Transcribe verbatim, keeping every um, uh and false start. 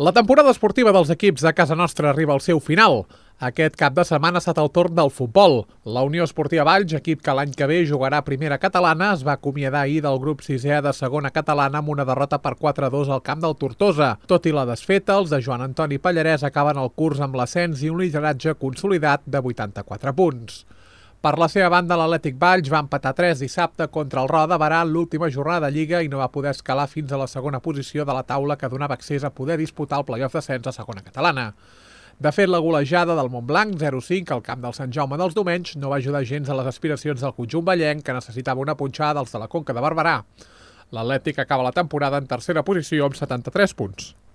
La temporada esportiva dels equips de casa nostra arriba al seu final. Aquest cap de setmana ha estat el torn del futbol. La Unió Esportiva Valls, equip que l'any que ve jugarà a primera catalana, es va acomiadar ahir del grup sisè de segona catalana amb una derrota per quatre a dos al camp del Tortosa. Tot i la desfeta, els de Joan Antoni Pallarès acaben el curs amb l'ascens i un lideratge consolidat de vuitanta-quatre punts. Per la seva banda, l'Atlètic Valls va empatar tres dissabte contra el Roda Barà en l'última jornada de Lliga i no va poder escalar fins a la segona posició de la taula que donava accés a poder disputar el play-off d'ascens a segona catalana. De fet, la golejada del Montblanc, zero a cinc, al camp del Sant Jaume dels Domenys, no va ajudar gens a les aspiracions del conjunt vallenc, que necessitava una punxada dels de la Conca de Barberà. L'Atlètic acaba la temporada en tercera posició amb setanta-tres punts.